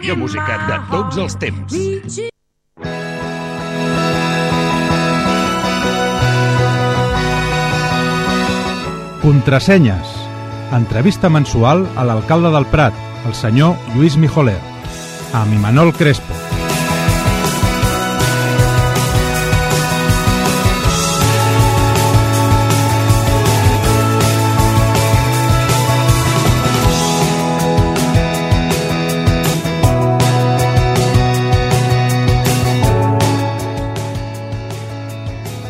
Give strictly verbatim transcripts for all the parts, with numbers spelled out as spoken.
La música de tots els temps. Contrasenyes. Entrevista mensual a l'alcalde del Prat, el senyor Lluís Mijoler, amb Imanol Crespo.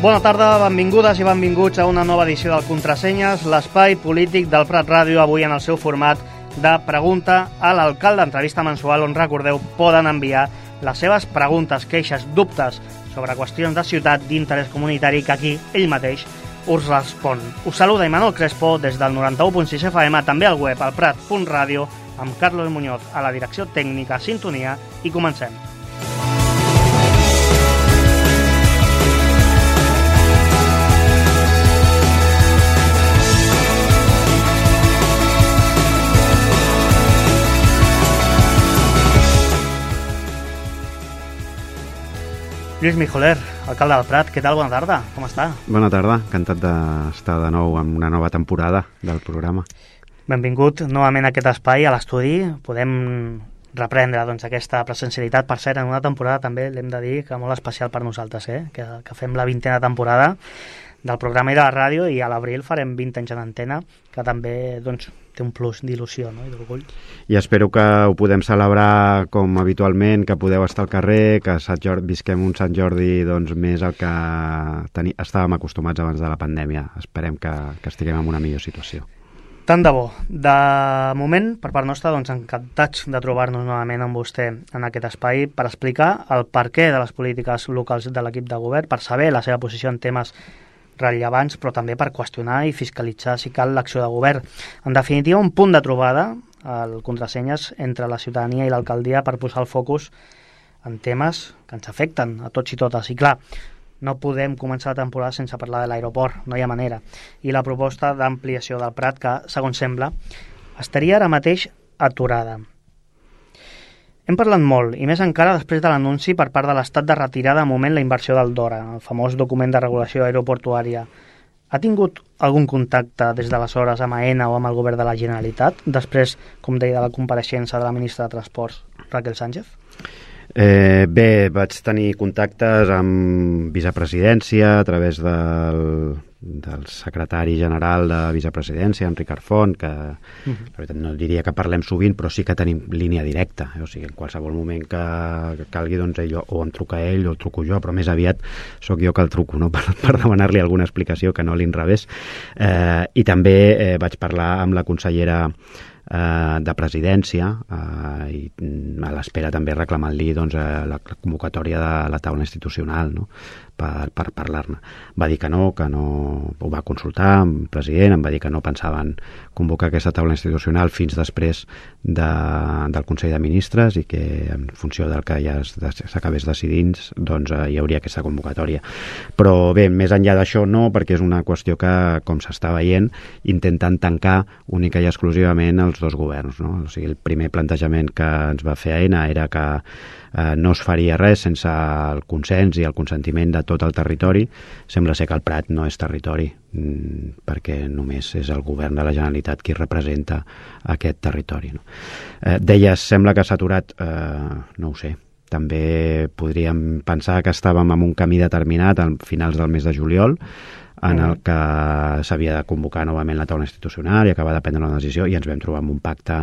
Bona tarda, benvingudes i benvinguts a una nova edició del Contrasenyes, l'espai polític del Prat Ràdio, avui en el seu format de pregunta a l'alcalde, entrevista mensual on, recordeu, poden enviar les seves preguntes, queixes, dubtes sobre qüestions de ciutat d'interès comunitari que aquí ell mateix us respon. Us saluda Imanol Crespo des del noranta-u punt sis F M, també al web, al prat punt ràdio, amb Carlos Muñoz a la direcció tècnica, sintonia, i comencem. Lluís Mijoler, alcalde del Prat, què tal? Bona tarda, com està? Bona tarda, encantat d'estar de nou en una nova temporada del programa. Benvingut novament a aquest espai, a l'estudi. Podem reprendre doncs, aquesta presencialitat. Per cert, en una temporada també l'hem de dir que molt especial per nosaltres, eh? que, que fem la vintena temporada del programa i de la ràdio, i a l'abril farem vint anys en antena, que també doncs, té un plus d'il·lusió, no? I d'orgull. I espero que ho podem celebrar com habitualment, que podeu estar al carrer, que Sant Jordi, visquem un Sant Jordi doncs, més el que teni, estàvem acostumats abans de la pandèmia. Esperem que, que estiguem en una millor situació. Tant de bo. De moment, per part nostra, doncs, encantats de trobar-nos novament amb vostè en aquest espai per explicar el perquè de les polítiques locals de l'equip de govern, per saber la seva posició en temes rellevants, però també per qüestionar i fiscalitzar, si cal, l'acció de govern. En definitiva, un punt de trobada, el Contrasenyes, entre la ciutadania i l'alcaldia per posar el focus en temes que ens afecten a tots i totes. I clar, no podem començar la temporada sense parlar de l'aeroport, no hi ha manera. I la proposta d'ampliació del Prat, que, segons sembla, estaria ara mateix aturada. Hem parlat molt, i més encara després de l'anunci per part de l'Estat de retirar de moment la inversió del DORA, el famós document de regulació aeroportuària. Ha tingut algun contacte des d'aleshores amb AENA o amb el govern de la Generalitat, després, com deia, de la compareixença de la ministra de Transports, Raquel Sánchez? Eh, bé, vaig tenir contactes amb vicepresidència a través del, del secretari general de vicepresidència, en Ricard Font, que uh-huh. la veritat no diria que parlem sovint, però sí que tenim línia directa, eh? O sigui, en qualsevol moment que, que calgui, doncs ell, o em truca ell o el truco jo, però més aviat sóc jo que el truco, no? per, per demanar-li alguna explicació que no l'inrevés. Eh, I també eh, vaig parlar amb la consellera de presidència eh, i a l'espera també reclamant-li doncs, la convocatòria de la taula institucional, no? per, per parlar-ne. Va dir que no, que no ho va consultar amb el president, em va dir que no pensaven convocar aquesta taula institucional fins després de, del Consell de Ministres i que en funció del que ja s'acabés decidint doncs, hi hauria aquesta convocatòria. Però bé, més enllà d'això no, perquè és una qüestió que, com s'està veient, intenten tancar única i exclusivament els dos governs, no? O sigui, el primer plantejament que ens va fer AENA era que eh, no es faria res sense el consens i el consentiment de tot el territori. Sembla ser que el Prat no és territori, mmm, perquè només és el govern de la Generalitat qui representa aquest territori, no? Eh, deies, sembla que s'ha aturat, eh, no ho sé. També podríem pensar que estàvem en un camí determinat a finals del mes de juliol, en el que s'havia de convocar novament la taula institucional i acabar de prendre una decisió, i ens vam trobar amb un pacte,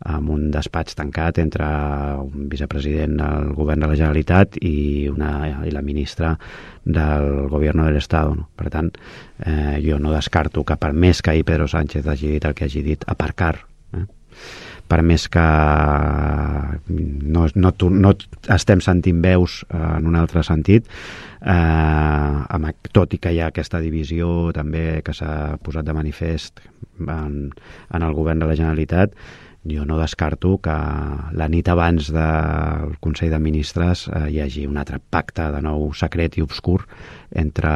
amb un despatx tancat entre un vicepresident del govern de la Generalitat i, una, i la ministra del govern de l'Estat, no? Per tant, eh, jo no descarto que per més que ahir Pedro Sánchez hagi dit el que hagi dit, aparcar, eh? per més que no, no, no estem sentint veus en un altre sentit, eh, tot i que hi ha aquesta divisió també que s'ha posat de manifest en, en el govern de la Generalitat, jo no descarto que la nit abans del Consell de Ministres eh, hi hagi un altre pacte de nou secret i obscur entre,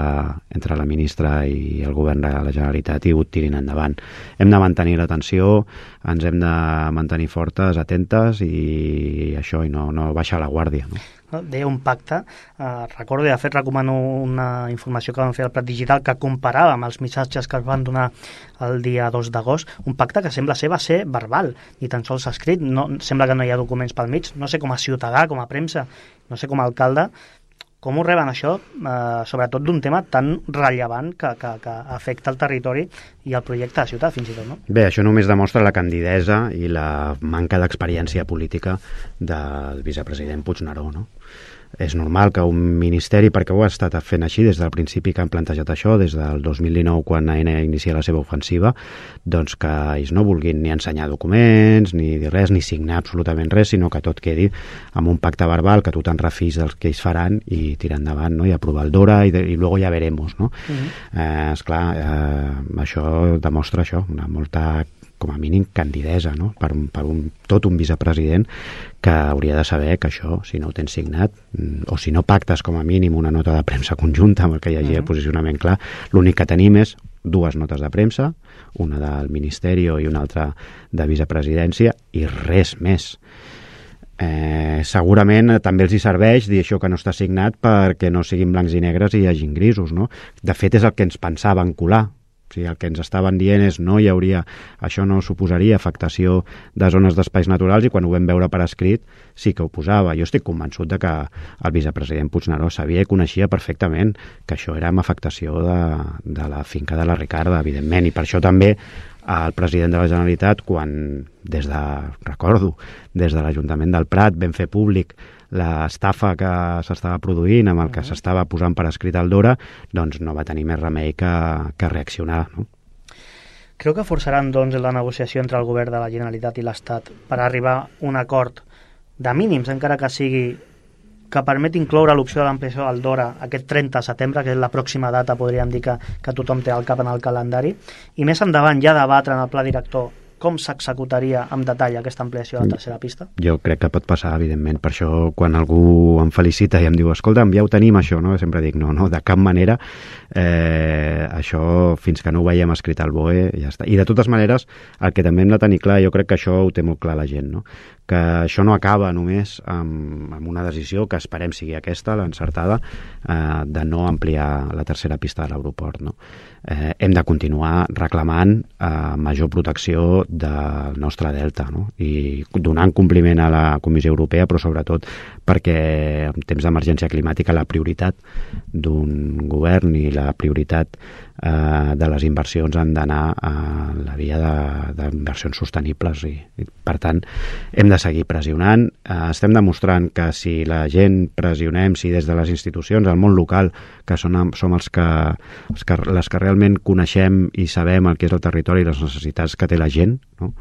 entre la ministra i el govern de la Generalitat i ho tirin endavant. Hem de mantenir l'atenció, ens hem de mantenir fortes, atentes i això, i no, no baixar la guàrdia, no? Deia un pacte, eh, recordo, de fet recomano una informació que vam fer al Prat Digital que comparava amb els missatges que es van donar el dia dos d'agost, un pacte que sembla ser va ser verbal, ni tan sols escrit, no, sembla que no hi ha documents pel mig, no sé com a ciutadà, com a premsa, no sé com a alcalde, com ho reben això, eh, sobretot d'un tema tan rellevant que, que, que afecta el territori i el projecte de ciutat, fins i tot, no? Bé, això només demostra la candidesa i la manca d'experiència política del vicepresident Puigneró, no? És normal que un ministeri, perquè ho ha estat fent així des del principi que han plantejat això, des del dos mil dinou quan Aena inicia la seva ofensiva, doncs que ells no vulguin ni ensenyar documents, ni dir res, ni signar absolutament res, sinó que tot quedi amb un pacte verbal, que tu te'n refis dels que ells faran i tirar endavant, no? I aprovar el DORA i, de, i luego ja veremos, no? Uh-huh. eh, esclar, eh, això demostra això, una molta com a mínim candidesa, no? Per, per un, tot un vicepresident que hauria de saber que això, si no ho tens signat, o si no pactes com a mínim una nota de premsa conjunta amb el que hi hagi uh-huh. el posicionament clar, l'únic que tenim és dues notes de premsa, una del Ministeri i una altra de vicepresidència, i res més. Eh, segurament també els hi serveix dir això que no està signat perquè no siguin blancs i negres i hi hagin grisos, no? De fet, és el que ens pensaven colar. O sigui, el que ens estaven dient és no hi hauria, això no suposaria afectació de zones d'espais naturals, i quan ho vam veure per escrit sí que ho posava. Jo estic convençut de que el vicepresident Puigneró sabia i coneixia perfectament que això era amb afectació de, de la finca de la Ricarda, evidentment, i per això també el president de la Generalitat, quan des de, recordo, des de l'Ajuntament del Prat vam fer públic l'estafa que s'estava produint amb el que s'estava posant per escrit al DORA, doncs no va tenir més remei que, que reaccionar, no? Creu que forçaran, doncs, la negociació entre el govern de la Generalitat i l'Estat per arribar a un acord de mínims, encara que sigui que permet incloure l'opció de l'ampliació del DORA aquest trenta de setembre, que és la pròxima data, podríem dir, que, que tothom té al cap en el calendari, i més endavant ja debatre en el pla director com s'executaria en detall aquesta ampliació de la tercera pista? Jo crec que pot passar, evidentment. Per això, quan algú em felicita i em diu, escolta'm, ja ho tenim, això, no? Sempre dic, no, no, de cap manera. Eh, això, fins que no ho veiem escrit al B O E, ja està. I de totes maneres, el que també hem de tenir clar, jo crec que això ho té molt clar la gent, no? Que això no acaba només amb, amb una decisió que esperem sigui aquesta, l'encertada, eh, de no ampliar la tercera pista de l'aeroport, no? Eh, hem de continuar reclamant eh, major protecció del nostre delta, no? I donant compliment a la Comissió Europea, però sobretot perquè en temps d'emergència climàtica la prioritat d'un govern i la prioritat eh, de les inversions han d'anar a la via d'inversions sostenibles i, i per tant hem de seguir pressionant. Eh, estem demostrant que si la gent pressionem, si des de les institucions, el món local, que són, som els que, els que les que realment coneixem i sabem el que és el territori i les necessitats que té la gent, no?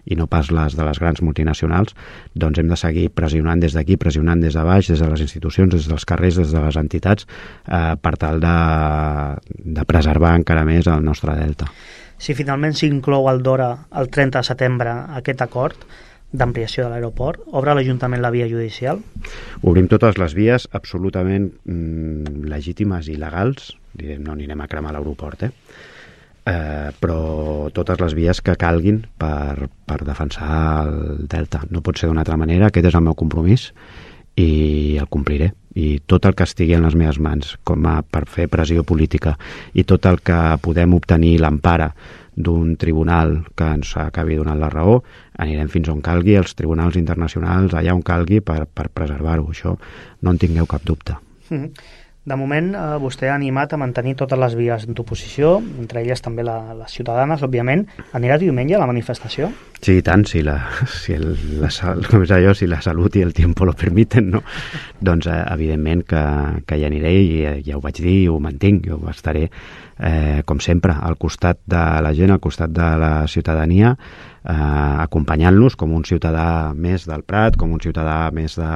I no pas les de les grans multinacionals, doncs hem de seguir pressionant des d'aquí, pressionant des de baix, des de les institucions, des dels carrers, des de les entitats, eh, per tal de, de preservar encara més el nostre delta. Si finalment s'inclou el DORA el trenta de setembre aquest acord d'ampliació de l'aeroport, obre l'Ajuntament la via judicial? Obrim totes les vies absolutament mm, legítimes i legals, direm, no anirem a cremar l'aeroport, eh? Eh, però totes les vies que calguin per, per defensar el delta. No pot ser d'una altra manera, aquest és el meu compromís i el compliré. I tot el que estigui en les meves mans com a, per fer pressió política i tot el que podem obtenir l'empara d'un tribunal que ens acabi donant la raó, anirem fins on calgui, als tribunals internacionals, allà on calgui, per, per preservar-ho. Això no en tingueu cap dubte. Mm-hmm. De moment, eh, vostè ha animat a mantenir totes les vies d'oposició, entre elles també la, les ciutadanes, òbviament. Anirà diumenge a la manifestació? Sí, i tant, si la, si el, la, com és allò, si la salut i el tiempo lo permiten, no? Doncs, eh, evidentment, que, que hi aniré i eh, ja ho vaig dir i ho mantinc. Jo estaré, eh, com sempre, al costat de la gent, al costat de la ciutadania, eh, acompanyant-los com un ciutadà més del Prat, com un ciutadà més de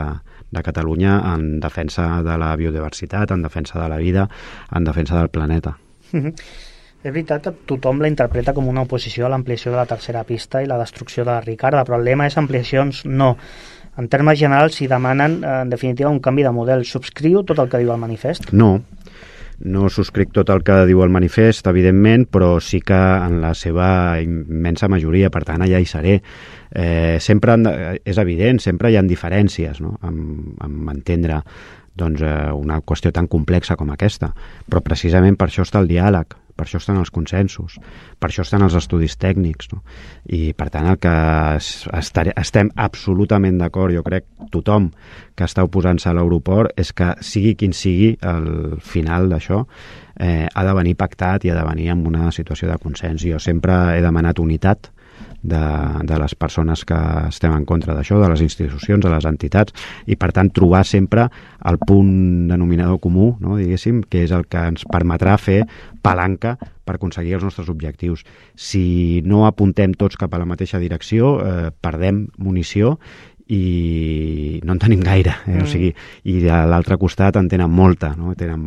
de Catalunya en defensa de la biodiversitat, en defensa de la vida, en defensa del planeta. Mm-hmm. És veritat que tothom la interpreta com una oposició a l'ampliació de la tercera pista i la destrucció de la Ricarda, però el lema és ampliacions no. En termes generals, si demanen, en definitiva, un canvi de model, subscriu tot el que diu el manifest? No, no subscric tot el que diu el manifest, evidentment, però sí que en la seva immensa majoria, per tant, allà hi seré. Eh, sempre, és evident, sempre hi ha diferències, no?, en, en entendre doncs, eh, una qüestió tan complexa com aquesta, però precisament per això està el diàleg, per això estan els consensos, per això estan els estudis tècnics, no? I per tant el que estaré, estem absolutament d'acord, jo crec tothom que està oposant-se a l'aeroport, és que sigui quin sigui el final d'això, eh, ha de venir pactat i ha de venir en una situació de consens. Jo sempre he demanat unitat de, de les persones que estem en contra d'això, de les institucions, de les entitats, i per tant trobar sempre el punt denominador comú, no, diguéssim, que és el que ens permetrà fer palanca per aconseguir els nostres objectius. Si no apuntem tots cap a la mateixa direcció, eh, perdem munició i no en tenim gaire, eh? Mm. O sigui, i a l'altre costat en tenen molta, no? Tenen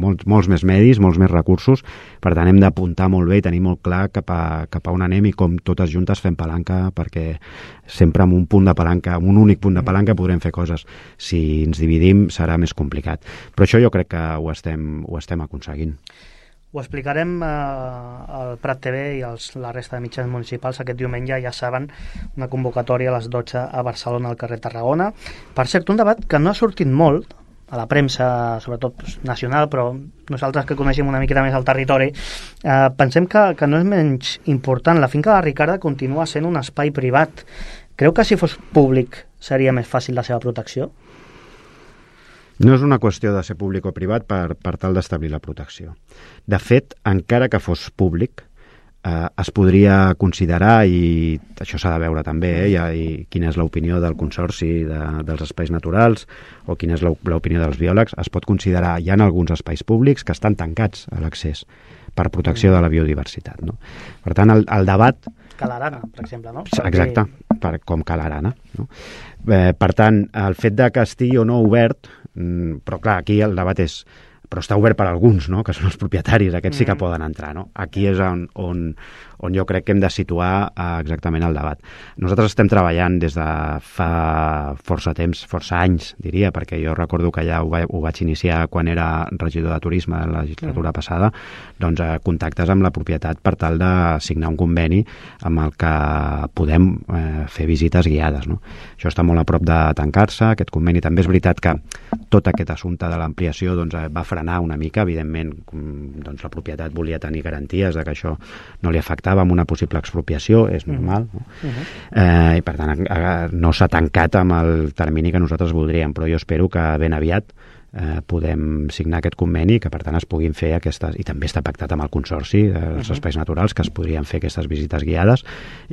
molts, molts més medis, molts més recursos, per tant hem d'apuntar molt bé i tenir molt clar cap a, cap a on anem i com totes juntes fem palanca, perquè sempre amb un punt de palanca, amb un únic punt de palanca podrem fer coses. Si ens dividim serà més complicat, però això jo crec que ho estem, ho estem aconseguint. Ho explicarem eh, al Prat T V i als, la resta de mitjans municipals aquest diumenge, ja saben, una convocatòria a les dotze a Barcelona, al carrer Tarragona. Per cert, un debat que no ha sortit molt a la premsa, sobretot pues, nacional, però nosaltres que coneixem una miqueta més el territori, eh, pensem que, que no és menys important. La finca de la Ricarda continua sent un espai privat. Creu que si fos públic seria més fàcil la seva protecció? No és una qüestió de ser públic o privat per, per tal d'establir la protecció. De fet, encara que fos públic, eh, es podria considerar, i això s'ha de veure també, eh, i, i quina és l'opinió del Consorci de, dels Espais Naturals o quina és l'opinió dels biòlegs, es pot considerar, hi ha alguns espais públics que estan tancats a l'accés per protecció de la biodiversitat, no? Per tant, el, el debat... Que l'Arana, per exemple, no? Exacte, per, com que l'Arana, no? Eh, per tant, el fet de que estigui o no obert, mm, però clar, aquí el debat és però està obert per alguns, no?, que són els propietaris, aquests sí que poden entrar, no? Aquí és on, on, on jo crec que hem de situar eh, exactament el debat. Nosaltres estem treballant des de fa força temps, força anys, diria, perquè jo recordo que ja ho, va, ho vaig iniciar quan era regidor de turisme de la legislatura passada, doncs eh, contactes amb la propietat per tal de signar un conveni amb el que podem eh, fer visites guiades, no? Això està molt a prop de tancar-se, aquest conveni. També és veritat que tot aquest assumpte de l'ampliació doncs, va frenar una mica, evidentment doncs, la propietat volia tenir garanties de que això no li afectava amb una possible expropiació, és normal, no? Uh-huh. eh, i per tant no s'ha tancat amb el termini que nosaltres voldríem, però jo espero que ben aviat eh, podem signar aquest conveni, que per tant es puguin fer aquestes, i també està pactat amb el Consorci dels uh-huh. Espais Naturals, que es podrien fer aquestes visites guiades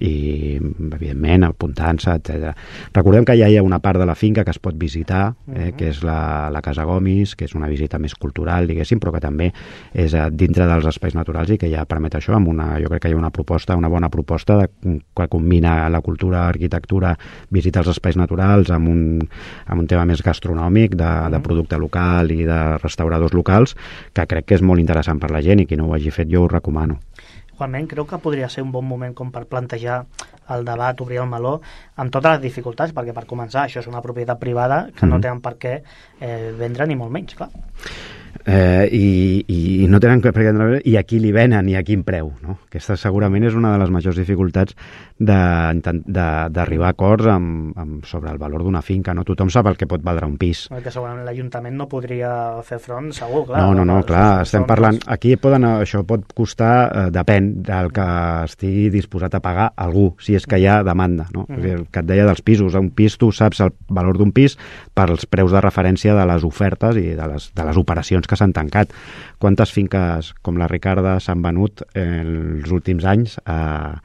i evidentment apuntant-se, etcètera. Recordem que ja hi ha una part de la finca que es pot visitar, eh, uh-huh. que és la, la Casa Gomis, que és una visita més cultural, diguéssim, però que també és eh, dintre dels espais naturals i que ja permet això, amb una, jo crec que hi ha una proposta, una bona proposta de, que combina la cultura, l'arquitectura, visita als espais naturals amb un, amb un tema més gastronòmic, de, uh-huh. de producte local local i de restauradors locals, que crec que és molt interessant per la gent i qui no ho hagi fet jo ho recomano. Juanment, creu que podria ser un bon moment com per plantejar el debat, obrir el meló, amb totes les dificultats, perquè per començar això és una propietat privada que mm-hmm. no tenen per què eh, vendre ni molt menys, clar. Eh, i, i no tenen per què vendre i a qui li venen i a quin preu, no? Aquesta segurament és una de les majors dificultats d'arribar a acords amb, amb, sobre el valor d'una finca, no? Tothom sap el que pot valdre un pis. Perquè segurament l'Ajuntament no podria fer front, segur, clar. No, no, no, clar, estem parlant... Aquí poden, això pot costar, eh, depèn del que estigui disposat a pagar algú, si és que hi ha demanda, no? Mm-hmm. El que et deia dels pisos, un pis, tu saps el valor d'un pis pels preus de referència de les ofertes i de les, de les operacions que s'han tancat. Quantes finques com la Ricarda s'han venut en els últims anys a,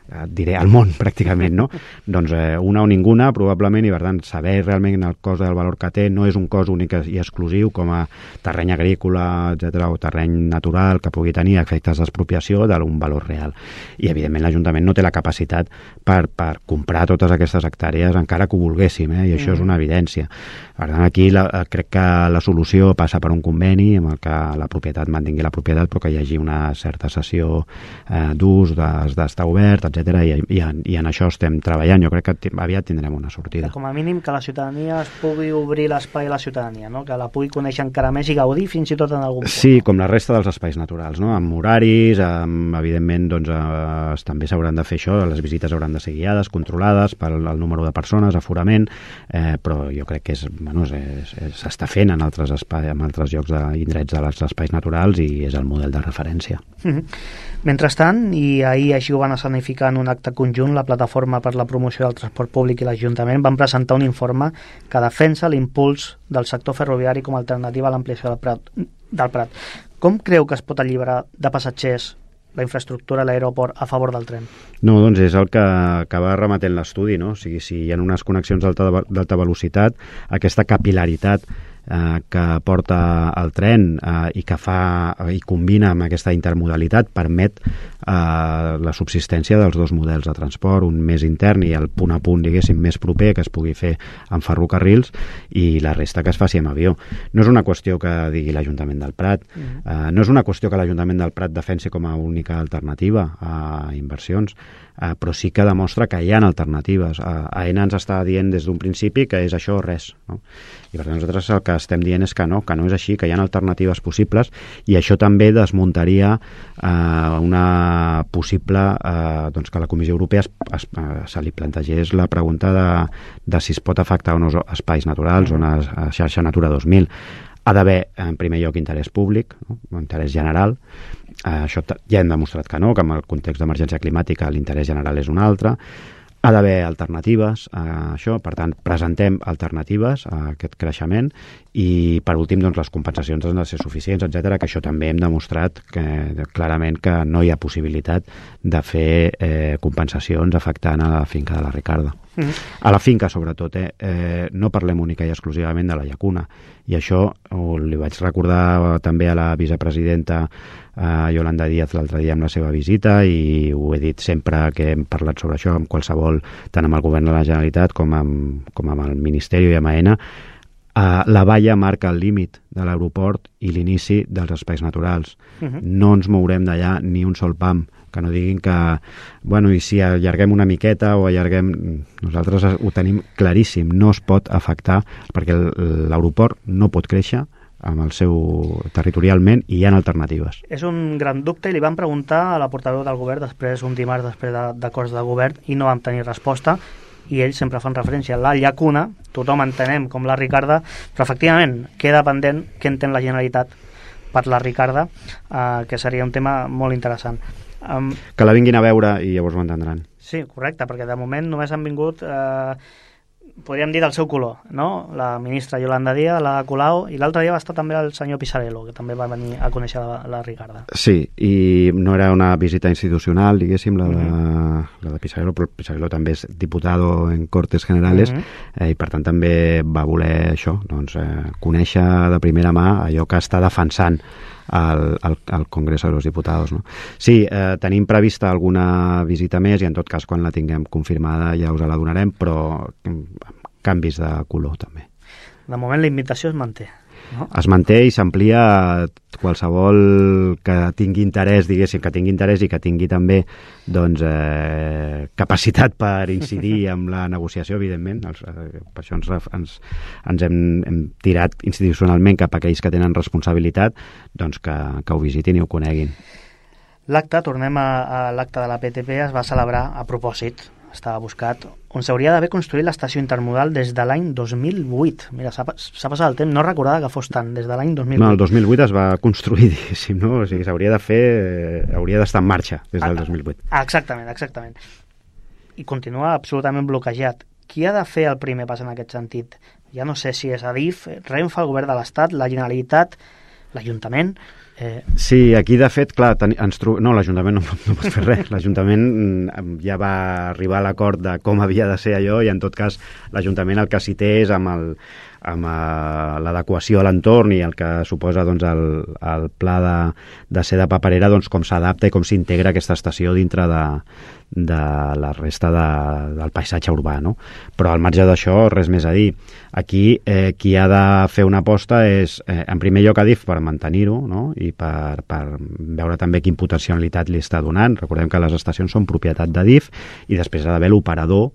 eh, diré al món pràcticament, no? Doncs eh, una o ninguna probablement, i per tant saber realment el cost del valor que té no és un cost únic i exclusiu com a terreny agrícola, etcètera, o terreny natural que pugui tenir efectes d'expropiació d'un valor real. I evidentment l'Ajuntament no té la capacitat per, per comprar totes aquestes hectàrees encara que ho volguéssim, eh? I això mm. és una evidència. Per tant, aquí la, crec que la solució passa per un conveni amb el que la propietat mantingui la propietat, però que hi hagi una certa cessió eh, d'ús, d'estar obert, etcètera, i, i, en, i en això estem treballant. Jo crec que aviat tindrem una sortida. Com a mínim que la ciutadania es pugui obrir l'espai a la ciutadania, no? Que la pugui conèixer encara més i gaudir fins i tot en algun punt. Sí, com la resta dels espais naturals, no? Amb horaris, amb, evidentment, doncs, eh, també s'hauran de fer això, les visites hauran de ser guiades, controlades pel el número de persones, aforament, eh, però jo crec que és, bueno, s'està fent en altres espais, en altres llocs d'indrets dels espais naturals i és el model de referència. Mm-hmm. Mentrestant, i ahir així ho van escenificar en un acte conjunt, la Plataforma per la Promoció del Transport Públic i l'Ajuntament van presentar un informe que defensa l'impuls del sector ferroviari com a alternativa a l'ampliació del Prat, del Prat. Com creu que es pot alliberar de passatgers la infraestructura a l'aeroport a favor del tren? No, doncs és el que acaba remetent l'estudi, no? O sigui, si hi ha unes connexions d'alta velocitat, aquesta capilaritat eh, que porta el tren eh, i que fa i combina amb aquesta intermodalitat permet eh, la subsistència dels dos models de transport, un més intern i el punt a punt, diguéssim, més proper que es pugui fer amb ferrocarrils i la resta que es faci amb avió. No és una qüestió que digui l'Ajuntament del Prat, mm. eh, no és una qüestió que l'Ajuntament del Prat defensi com a única alternativa a inversions, eh, però sí que demostra que hi ha alternatives. Eh, Aena ens està dient des d'un principi que és això o res, no? I per tant nosaltres el que estem dient és que no, que no és així, que hi ha alternatives possibles i això també desmuntaria eh, una possible eh, doncs que la Comissió Europea es, es, eh, se li plantegés la pregunta de, de si es pot afectar o no espais naturals o una xarxa Natura dos mil. Ha d'haver, en primer lloc, interès públic, no? Interès general. Eh, això ja hem demostrat que no, que en el context d'emergència climàtica l'interès general és un altre. Ha d'haver alternatives a això, per tant, presentem alternatives a aquest creixement i, per últim, doncs, les compensacions han de ser suficients, etcètera, que això també hem demostrat que, clarament que no hi ha possibilitat de fer eh, compensacions afectant a la finca de la Ricarda. Mm. A la finca, sobretot, eh, eh, no parlem única i exclusivament de la llacuna, i això ho, li vaig recordar també a la vicepresidenta eh, Yolanda Díaz l'altre dia amb la seva visita i ho he dit sempre que hem parlat sobre això amb qualsevol, tant amb el govern de la Generalitat com amb, com amb el Ministeri i amb Aena. Uh, la valla marca el límit de l'aeroport i l'inici dels espais naturals. Uh-huh. No ens mourem d'allà ni un sol pam, que no diguin que, bueno, i si allarguem una miqueta o allarguem... Nosaltres ho tenim claríssim, no es pot afectar, perquè l'aeroport no pot créixer amb el seu territorialment i hi ha alternatives. És un gran dubte i li vam preguntar a la portaveu del govern després, un dimarts després de, d'acords de govern, i no vam tenir resposta, i ells sempre fan referència a la llacuna, tothom entenem com la Ricarda, però efectivament queda pendent què entén la Generalitat per la Ricarda, eh, que seria un tema molt interessant. Um, que la vinguin a veure i llavors ho entendran. Sí, correcte, perquè de moment només han vingut, eh, podríem dir, del seu color, no? La ministra Yolanda Díaz, la Colau, i l'altre dia va estar també el senyor Pisarello, que també va venir a conèixer la, la Ricarda. Sí, i no era una visita institucional, diguéssim, la de, uh-huh. la de Pisarello, però Pisarello també és diputado en Cortes Generales, uh-huh. eh, i per tant també va voler això, doncs, eh, conèixer de primera mà allò que està defensant al, al, al Congreso de los Diputados, no? Sí, eh, tenim prevista alguna visita més i en tot cas quan la tinguem confirmada ja us la donarem, però canvis de color també. De moment la invitació es manté, no? Es manté i s'amplia qualsevol que tingui interès, diguéssim, que tingui interès i que tingui també doncs, eh, capacitat per incidir en la negociació, evidentment. Els, eh, per això ens, ens, ens hem, hem tirat institucionalment cap a aquells que tenen responsabilitat, doncs que, que ho visitin i ho coneguin. L'acte, tornem a, a l'acte de la P T P, es va celebrar a propòsit, estava buscat, on s'hauria d'haver construït l'estació intermodal des de l'any dos mil vuit. Mira, s'ha, s'ha passat el temps, no recordava que fos tant, des de l'any dos mil vuit. No, el dos mil vuit es va construir, diguéssim, no? O sigui, s'hauria de fer, eh, hauria d'estar en marxa des del dos mil vuit. Exactament, exactament. I continua absolutament bloquejat. Qui ha de fer el primer pas en aquest sentit? Ja no sé si és Adif, Renfe, el govern de l'Estat, la Generalitat... l'Ajuntament... Eh... Sí, aquí de fet, clar, ten, ens tro... no, l'Ajuntament no, no pot fer res. L'Ajuntament ja va arribar a l'acord de com havia de ser allò i en tot cas l'Ajuntament el que s'hi té és amb el amb uh, l'adequació a l'entorn i el que suposa doncs, el, el pla de, de ser de paperera, doncs, com s'adapta i com s'integra aquesta estació dintre de, de la resta de, del paisatge urbà, no? Però al marge d'això, res més a dir. Aquí eh, qui ha de fer una aposta és, eh, en primer lloc, Adif per mantenir-ho, no? I per, per veure també quin potencialitat li està donant. Recordem que les estacions són propietat d'Adif i després ha d'haver l'operador,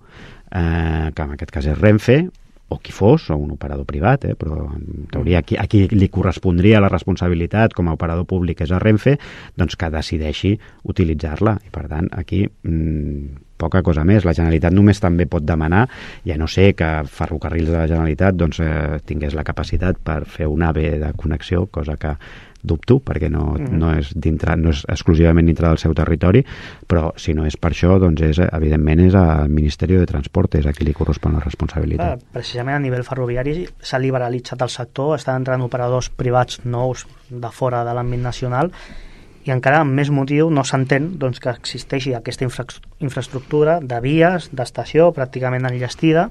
eh, que en aquest cas és Renfe, o qui fos, o un operador privat, eh? Però en teoria a qui, a qui li correspondria la responsabilitat com a operador públic és a Renfe, doncs que decideixi utilitzar-la. I per tant, aquí mmm, poca cosa més. La Generalitat només també pot demanar, ja no sé que Ferrocarrils de la Generalitat doncs, eh, tingués la capacitat per fer un A V de connexió, cosa que dubto, perquè no, mm. no, és dintre, no és exclusivament dintre del seu territori, però si no és per això, doncs és, evidentment és al Ministeri de Transport, és a qui li correspon la responsabilitat. Clar, precisament a nivell ferroviari s'ha liberalitzat el sector, estan entrant operadors privats nous de fora de l'àmbit nacional i encara amb més motiu no s'entén doncs, que existeixi aquesta infra infraestructura de vies, d'estació pràcticament enllestida,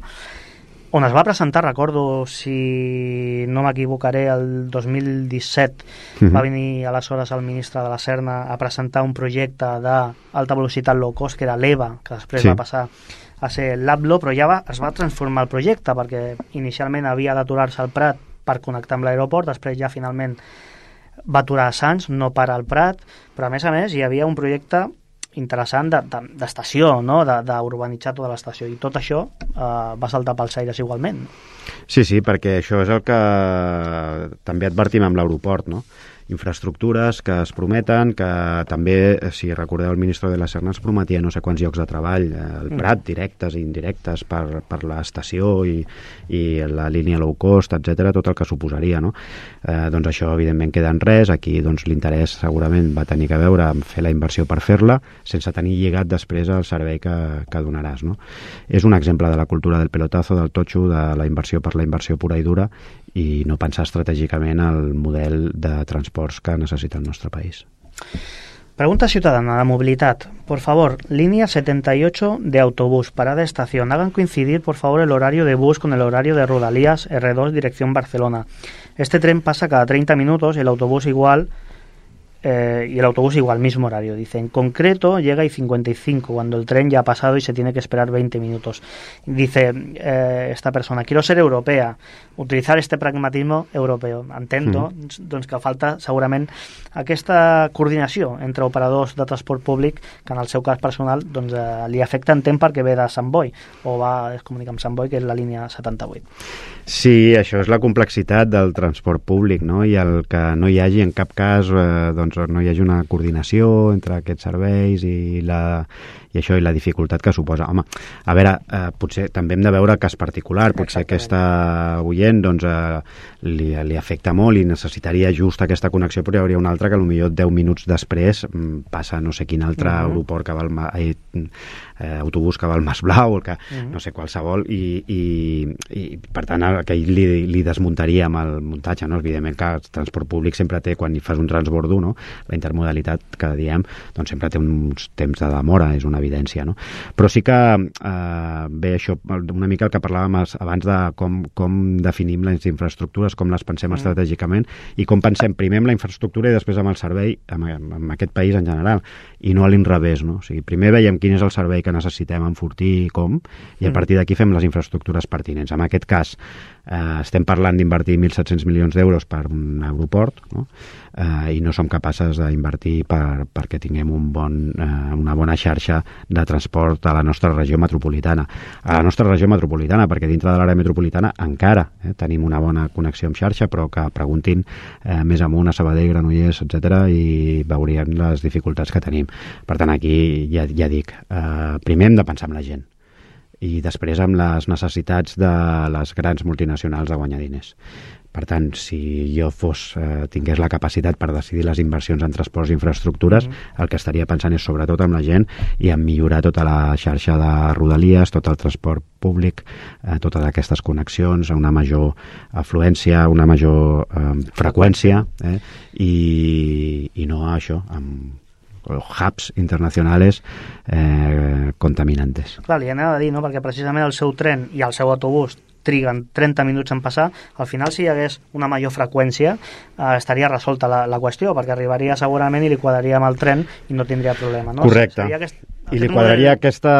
on es va presentar, recordo, si no m'equivocaré, el dos mil disset uh-huh. va venir aleshores el ministre de la Serna a presentar un projecte d'alta velocitat low cost, que era l'E V A, que després sí. va passar a ser l'Ablo, però ja va, es va transformar el projecte, perquè inicialment havia d'aturar-se al Prat per connectar amb l'aeroport, després ja finalment va aturar a Sants, no para al Prat, però a més a més hi havia un projecte interessant d'estació, de, de, no? d'urbanitzar tota l'estació, i tot això eh, va saltar pels aires igualment. Sí, sí, perquè això és el que també advertim amb l'aeroport, no? Infraestructures que es prometen, que també, si recordeu, el ministre de la Serna es prometia no sé quants llocs de treball al Prat, directes i indirectes per, per l'estació i, i la línia low cost, etcètera, tot el que suposaria, no? Eh, doncs això evidentment queda en res. Aquí doncs, l'interès segurament va tenir que veure amb fer la inversió per fer-la sense tenir lligat després el servei que, que donaràs, no? És un exemple de la cultura del pelotazo, del totxo, de la inversió per la inversió pura i dura, i no pensar estratègicament el model de transports que necessita el nostre país. Pregunta ciudadana de movilidad. Por favor, línea setenta y ocho de autobús, parada estación. Hagan coincidir, por favor, el horario de bus con el horario de Rodalías erre dos, dirección Barcelona. Este tren pasa cada treinta minutos y el autobús igual... Eh, y el autobús igual, mismo horario, dice. En concreto llega y cincuenta y cinco cuando el tren ya ha pasado y se tiene que esperar veinte minutos. Dice eh, esta persona, quiero ser europea, utilizar este pragmatismo europeu. Entendo mm. doncs, que falta segurament aquesta coordinació entre operadors de transport públic que en el seu cas personal doncs, eh, li afecta en temps perquè ve de Sant Boi o va es comunica amb Sant Boi, que és la línia setanta-vuit. Sí, això és la complexitat del transport públic, no? I el que no hi hagi en cap cas eh, doncs, no hi hagi una coordinació entre aquests serveis i, la, i això i la dificultat que suposa. Home, a veure, eh, potser també hem de veure el cas particular, potser aquesta oient doncs, eh, li, li afecta molt i necessitaria just aquesta connexió, però hi hauria una altra que potser deu minuts després passa no sé quin altre uh-huh. aeroport que va al, eh, eh, autobús que va al Mas Blau, el que, uh-huh. no sé, qualsevol, i, i, i per tant que li, li desmuntaria amb el muntatge, no? Evidentment que el transport públic sempre té, quan hi fas un transbordo, no? La intermodalitat que diem, doncs sempre té uns temps de demora, és una evidència, no? Però sí que eh, ve això, una mica el que parlàvem abans de com, com definim les infraestructures, com les pensem mm. estratègicament i com pensem primer amb la infraestructura i després amb el servei, amb, amb aquest país en general, i no a l'inrevés, no? O sigui, primer veiem quin és el servei que necessitem enfortir i com, i a partir d'aquí fem les infraestructures pertinents. En aquest cas, eh, estem parlant d'invertir mil set-cents milions d'euros per un aeroport, no? Eh, i no som capaces d'invertir per, perquè tinguem un bon, eh, una bona xarxa de transport a la nostra regió metropolitana. A la nostra regió metropolitana, perquè dintre de l'àrea metropolitana encara eh, tenim una bona connexió amb xarxa, però que preguntin eh, més amunt a Sabadell, Granollers, etcètera, i veurien les dificultats que tenim. Per tant, aquí ja, ja dic, eh, primer hem de pensar en la gent. i després amb les necessitats de les grans multinacionals de guanyar diners. Per tant, si jo fos, eh, tingués la capacitat per decidir les inversions en transports i infraestructures, mm-hmm. el que estaria pensant és sobretot amb la gent i en millorar tota la xarxa de rodalies, tot el transport públic, eh, totes aquestes connexions, una major afluència, una major eh, freqüència, eh, i, i no això, amb hubs internacionals eh, contaminantes. Clar, li anava a dir, no?, perquè precisament el seu tren i el seu autobús triguen trenta minuts en passar, al final si hi hagués una major freqüència eh, estaria resolta la, la qüestió, perquè arribaria segurament i li quadraria amb el tren i no tindria problema, no? Correcte. Aquest, I li quadraria model... aquesta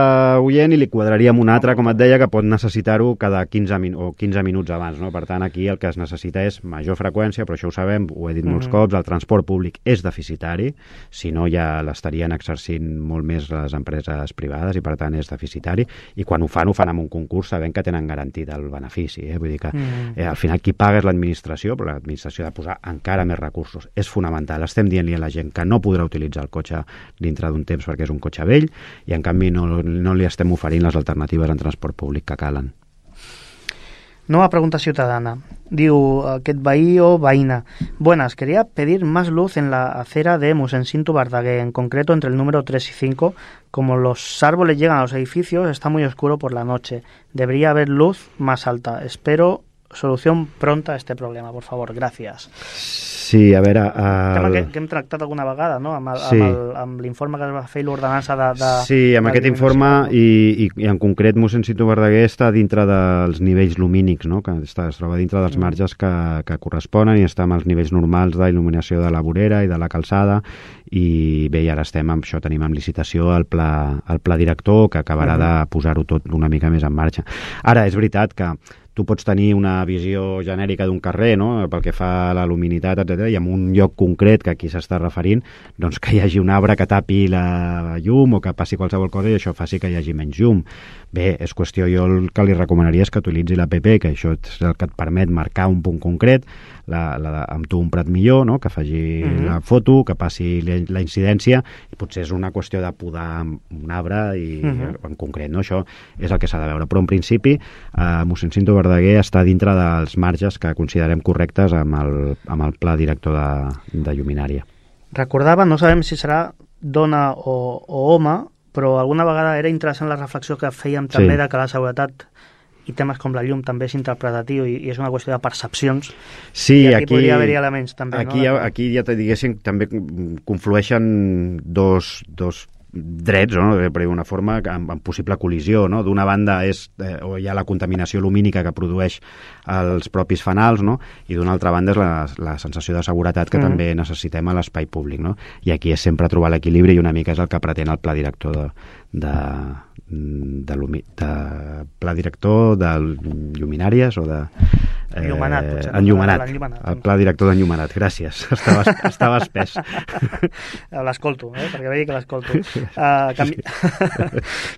oient i li quadraria amb una altra, com et deia, que pot necessitar-ho cada quinze, min o quinze minuts abans, no? Per tant, aquí el que es necessita és major freqüència, però això ho sabem, ho he dit molts mm-hmm. cops, el transport públic és deficitari, si no ja l'estarien exercint molt més les empreses privades i per tant és deficitari, i quan ho fan, ho fan amb un concurs sabent que tenen garantit el benefici, eh? Vull dir que mm. eh, al final qui paga és l'administració, però l'administració ha de posar encara més recursos. És fonamental. Estem dient-li a la gent que no podrà utilitzar el cotxe dintre d'un temps perquè és un cotxe vell i en canvi no, no li estem oferint les alternatives en transport públic que calen. Nueva pregunta ciudadana. Diu aquest veí o veïna. Buenas, quería pedir más luz en la acera de Mossèn-Cinto Verdaguer, en concreto entre el número tres y cinco. Como los árboles llegan a los edificios, está muy oscuro por la noche. Debería haber luz más alta. Espero solución pronta a este problema, por favor. Gracias. Sí, a veure... El... Tema que, que hem tractat alguna vegada, no? Amb, el, sí. amb, amb l'informe que es va fer i l'ordenança de, de... Sí, amb aquest informe i, i, i en concret Mossèn-Cinto Verdaguer està dintre dels nivells lumínics, no? Que està, es troba dintre dels marges que, que corresponen i està amb els nivells normals d'il·luminació de la vorera i de la calçada i bé, i ara estem amb això, tenim en licitació el pla, el pla director que acabarà uh-huh. de posar-ho tot una mica més en marxa. Ara, és veritat que tu pots tenir una visió genèrica d'un carrer, no?, pel que fa a la luminitat, etcètera, i en un lloc concret que aquí s'està referint, doncs que hi hagi un arbre que tapi la llum o que passi qualsevol cosa i això faci que hi hagi menys llum. Bé, és qüestió, jo el que li recomanaria és que utilitzi l'A P P, que això és el que et permet marcar un punt concret, la, la, amb tu un prat millor, no?, que faci mm-hmm. la foto, que passi la incidència, i potser és una qüestió de podar un arbre i mm-hmm. en concret, no?, això és el que s'ha de veure. Però en principi, eh, Mossèn-Cinto Verdaguer està dintre dels marges que considerem correctes amb el, amb el pla director de, de lluminària. Recordava, no sabem si serà dona o, o home, però alguna vegada era interessant la reflexió que fèiem també sí. de que la seguretat i temes com la llum també és interpretatiu i, i és una qüestió de percepcions. Sí, i aquí, aquí podria haver-hi elements també. Aquí, no? ja, aquí ja te diguéssim, també conflueixen dos, dos drets, no?, per dir una forma, amb, amb possible col·lisió, no? D'una banda és, eh, o hi ha la contaminació lumínica que produeix els propis fanals, no?, i d'una altra banda és la, la sensació de seguretat que mm. també necessitem a l'espai públic, no? I aquí és sempre trobar l'equilibri i una mica és el que pretén el pla director de, de, de, de, de pla director de lluminàries o de Eh, enllumenat, potser. Enllumenat. El pla director d'enllumenat. Gràcies. Estava, estava espès. L'escolto, eh? Perquè vegi que l'escolto. Uh, canvi...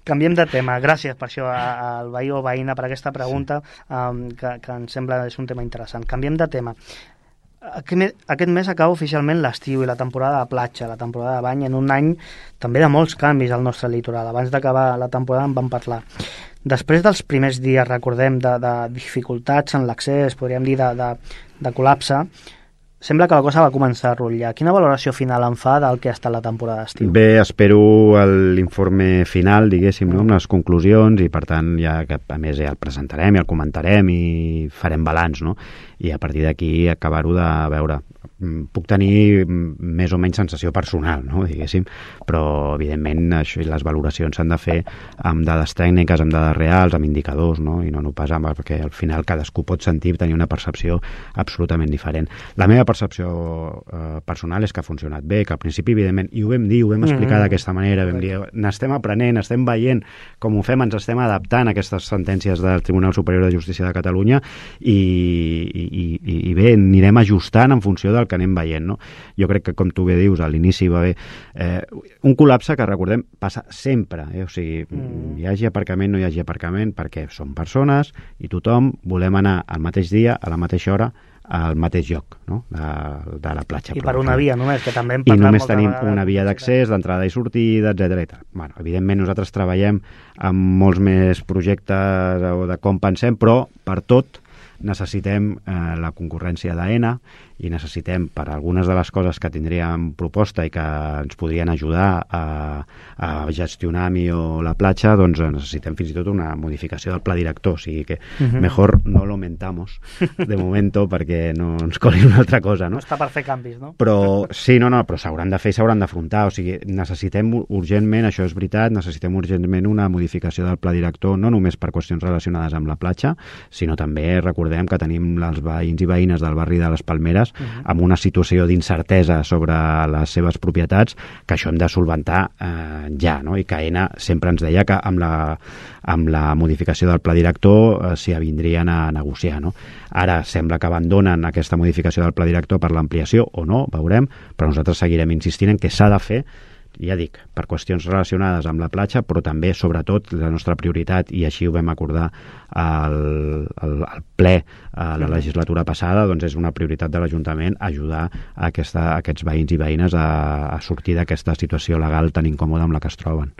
Canviem de tema. Gràcies per això al veí o veïna per aquesta pregunta um, que, que em sembla és un tema interessant. Canviem de tema. Aquest mes acaba oficialment l'estiu i la temporada de platja, la temporada de bany, en un any també de molts canvis al nostre litoral. Abans d'acabar la temporada en vam parlar. Després dels primers dies, recordem, de, de dificultats en l'accés, podríem dir de, de, de col·lapse, sembla que la cosa va començar a rotllar. Quina valoració final en fa del que ha estat la temporada d'estiu? Bé, espero l'informe final, diguéssim, no?, amb les conclusions i, per tant, ja que a més ja el presentarem i el comentarem i farem balanç, no?, i a partir d'aquí acabar-ho de veure. Puc tenir més o menys sensació personal, no?, diguéssim, però evidentment això, les valoracions s'han de fer amb dades tècniques, amb dades reals, amb indicadors, no?, i no, no pas amb, perquè al final cadascú pot sentir tenir una percepció absolutament diferent. La meva percepció eh, personal és que ha funcionat bé, que al principi evidentment, i ho vam dir, ho vam explicar mm-hmm. d'aquesta manera, vam dir, n'estem aprenent, estem veient com ho fem, ens estem adaptant a aquestes sentències del Tribunal Superior de Justícia de Catalunya i, i, i, i bé, anirem ajustant en funció del que anem veient, no? Jo crec que, com tu bé dius, a l'inici va haver eh, un col·lapse que, recordem, passa sempre, eh? O sigui, mm. hi hagi aparcament, no hi hagi aparcament, perquè som persones i tothom volem anar al mateix dia, a la mateixa hora, al mateix lloc, no? de, de la platja. I per una via només, que també hem parlat. I només moltes tenim vegades. Una via d'accés, d'entrada i sortida, etcètera. Bueno, evidentment nosaltres treballem amb molts més projectes o de com pensem, però per tot necessitem eh, la concurrència d'AENA i necessitem, per algunes de les coses que tindríem proposta i que ens podrien ajudar a, a gestionar millor la platja, doncs necessitem fins i tot una modificació del pla director, o sigui que uh-huh. mejor no lo mentamos de momento perquè no ens coli una altra cosa, no? No està per fer canvis, no? Però sí, no, no, però s'hauran de fer i s'hauran d'afrontar, o sigui, necessitem urgentment, això és veritat, necessitem urgentment una modificació del pla director, no només per qüestions relacionades amb la platja, sinó també, recordem que tenim els veïns i veïnes del barri de les Palmeres uh-huh. amb una situació d'incertesa sobre les seves propietats, que això hem de solventar eh, ja, no? I que AENA sempre ens deia que amb la, amb la modificació del pla director eh, s'hi avindrien a negociar, no? Ara sembla que abandonen aquesta modificació del pla director per l'ampliació o no, veurem, però nosaltres seguirem insistint en que s'ha de fer, ja dic, per qüestions relacionades amb la platja, però també, sobretot, la nostra prioritat, i així ho vam acordar al, al, al ple a la legislatura passada, doncs és una prioritat de l'Ajuntament ajudar a, aquesta, a aquests veïns i veïnes a, a sortir d'aquesta situació legal tan incòmoda amb la que es troben.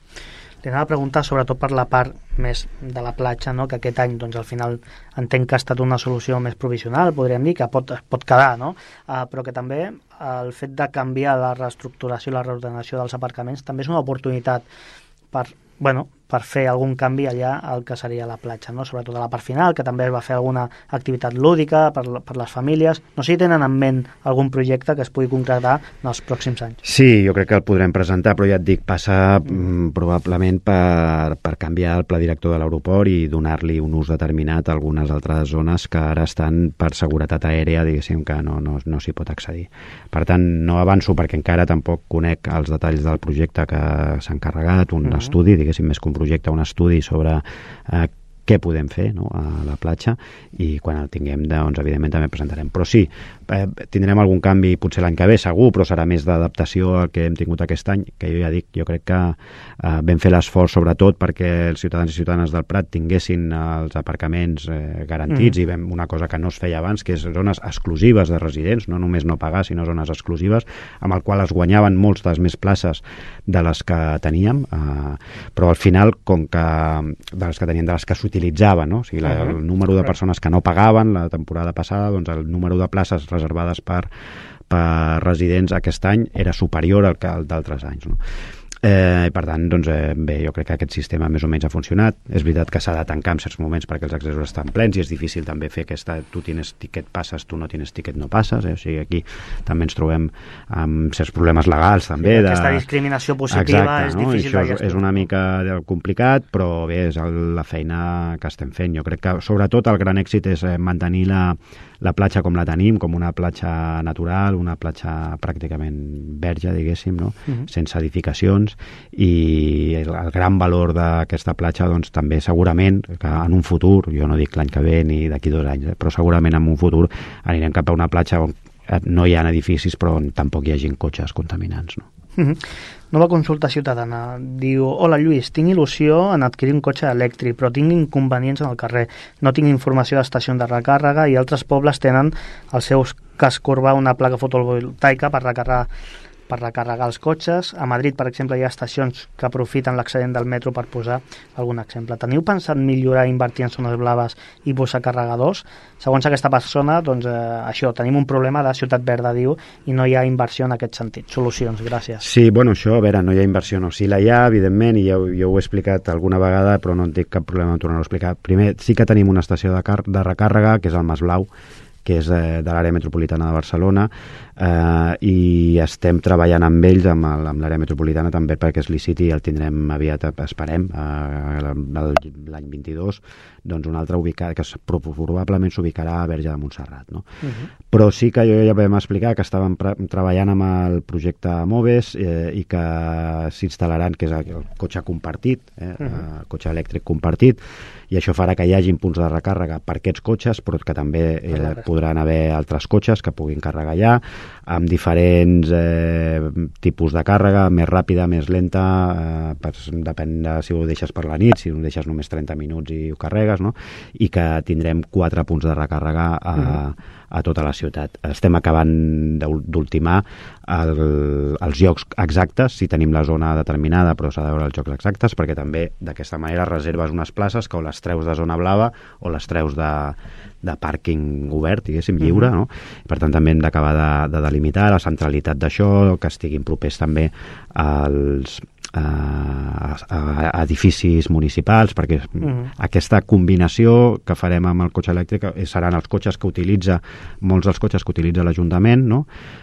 Li anava a preguntar sobretot per la part més de la platja, no? Que aquest any doncs, al final entenc que ha estat una solució més provisional, podríem dir, que pot, pot quedar, no? Uh, però que també el fet de canviar la reestructuració i la reordenació dels aparcaments també és una oportunitat per, bueno, per fer algun canvi allà al que seria la platja, no? Sobretot a la part final, que també es va fer alguna activitat lúdica per, per les famílies. No sé si tenen en ment algun projecte que es pugui concretar en els pròxims anys. Sí, jo crec que el podrem presentar, però ja et dic, passa mm, probablement per, per canviar el pla director de l'aeroport i donar-li un ús determinat a algunes altres zones que ara estan per seguretat aèria, diguéssim, que no, no, no s'hi pot accedir. Per tant, no avanço perquè encara tampoc conec els detalls del projecte que s'ha encarregat, un mm-hmm. estudi, diguéssim, més que un projecte, un estudi sobre eh, què podem fer, no?, a la platja, i quan el tinguem, doncs, evidentment també presentarem. Però sí, eh, tindrem algun canvi potser l'any que ve, segur, però serà més d'adaptació al que hem tingut aquest any, que jo ja dic, jo crec que eh, vam fer l'esforç sobretot perquè els ciutadans i ciutadanes del Prat tinguessin els aparcaments eh, garantits, mm. i vam una cosa que no es feia abans, que és zones exclusives de residents, no només no pagar, sinó zones exclusives, amb el qual es guanyaven moltes més places de les que teníem, eh, però al final, com que de les que teníem, de les que s'utilitzaven, no? O sigui, la, el número de persones que no pagaven la temporada passada, doncs el número de places reservades per, per residents aquest any era superior al que el d'altres anys, no? Eh, per tant, doncs, eh, bé, jo crec que aquest sistema més o menys ha funcionat. És veritat que s'ha de tancar en certs moments perquè els accessos estan plens i és difícil també fer aquesta, tu tienes tiquet, passes, tu no tienes tiquet, no passes, eh? O sigui, aquí també ens trobem amb certs problemes legals també. Sí, aquesta de... discriminació positiva. Exacte, és no? difícil de gestionar. És una mica complicat, però bé, és la feina que estem fent. Jo crec que sobretot el gran èxit és mantenir la, la platja com la tenim, com una platja natural, una platja pràcticament verge, diguéssim, no? Uh-huh. Sense edificacions, i el, el gran valor d'aquesta platja, doncs també segurament que en un futur, jo no dic l'any que ve ni d'aquí dos anys, eh, però segurament en un futur anirem cap a una platja on no hi ha edificis però on tampoc hi hagin cotxes contaminants, no? Uh-huh. Nova consulta ciutadana. Diu: hola Lluís, tinc il·lusió en adquirir un cotxe elèctric, però tinc inconvenients en el carrer. No tinc informació d'estacions de recàrrega i altres pobles tenen al seu casc urbà una placa fotovoltaica per recarregar per recarregar els cotxes. A Madrid, per exemple, hi ha estacions que aprofiten l'excedent del metro per posar algun exemple. Teniu pensat millorar, invertir en zones blaves i posar carregadors? Segons aquesta persona, doncs eh, això, tenim un problema de ciutat verda, diu, i no hi ha inversió en aquest sentit. Solucions, gràcies. Sí, bueno, això, a veure, no hi ha inversió, no. Sí la hi ha, evidentment, i jo, jo ho he explicat alguna vegada, però no en tinc cap problema en tornar-ho a explicar. Primer, sí que tenim una estació de, car de recàrrega, que és el Mas Blau, que és de, de l'àrea metropolitana de Barcelona, eh, i estem treballant amb ells, amb l'àrea metropolitana també, perquè es liciti i el tindrem aviat, esperem, eh, l'any vint-i-dos, doncs un altre ubicat, que probablement s'ubicarà a Verge de Montserrat, no? Uh-huh. Però sí que jo ja vam explicar que estàvem treballant amb el projecte Moves eh, i que s'instal·laran, que és el cotxe compartit, eh, uh-huh. el cotxe elèctric compartit, i això farà que hi hagin punts de recàrrega per aquests cotxes, però que també eh, podran haver altres cotxes que puguin carregar allà. amb diferents eh, tipus de càrrega, més ràpida, més lenta, eh, per, depèn de si ho deixes per la nit, si ho deixes només trenta minuts i ho carregues, no? I que tindrem quatre punts de recàrrega a, mm. a tota la ciutat. Estem acabant d'ultimar el, els llocs exactes, si tenim la zona determinada, però s'ha de veure els llocs exactes, perquè també d'aquesta manera reserves unes places que o les treus de zona blava o les treus de, de pàrquing obert, diguéssim, lliure, no? Per tant, també hem d'acabar de, de delimitar la centralitat d'això, que estiguin propers també als a, a edificis municipals, perquè uh-huh. aquesta combinació que farem amb el cotxe elèctric seran els cotxes que utilitza, molts dels cotxes que utilitza l'Ajuntament, no?